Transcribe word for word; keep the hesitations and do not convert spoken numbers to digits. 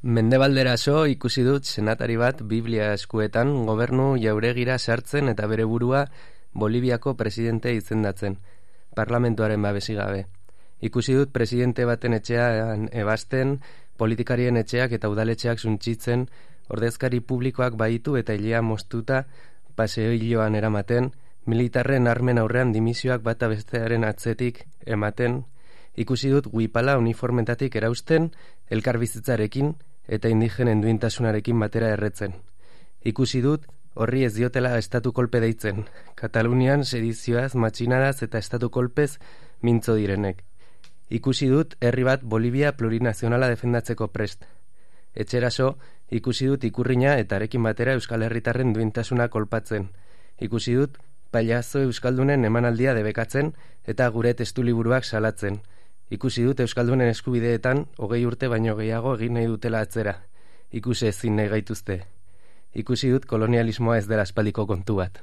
Mendebalderaso ikusi dut senatari bat Biblia eskuetan gobernu jauregira sartzen eta bere burua Boliviako presidente izendatzen, parlamentuaren babesi gabe. Ikusi dut presidente baten etxean ebasten, politikarien etxeak eta udaletxeak suntsitzen, ordezkari publikoak baitu eta hilea moztuta paseoiloan eramaten, militarren armen aurrean dimisioak bata bestearen atzetik ematen. Ikusi dut guipala uniformetatik erausten, elkarbizitzarekin eta indigenen duintasunarekin batera erretzen. Ikusi dut horri ez diotela estatu kolpe deitzen, Katalunian sedizioaz, matxinaraz eta estatu kolpez mintzo direnek. Ikusi dut herri bat Bolivia plurinazionala defendatzeko prest. Etxeraso, ikusi dut ikurrina eta arekin batera Euskal Herritarren duintasuna kolpatzen. Ikusi dut pailazo euskaldunen emanaldia debekatzen eta gure testuliburuak salatzen. Ikusi dut euskaldunen eskubideetan hogei urte baino gehiago egin nahi dutela atzera. Ikusi ezin nahi gaituzte. Ikusi dut kolonialismoa ez dela aspaldiko kontu bat.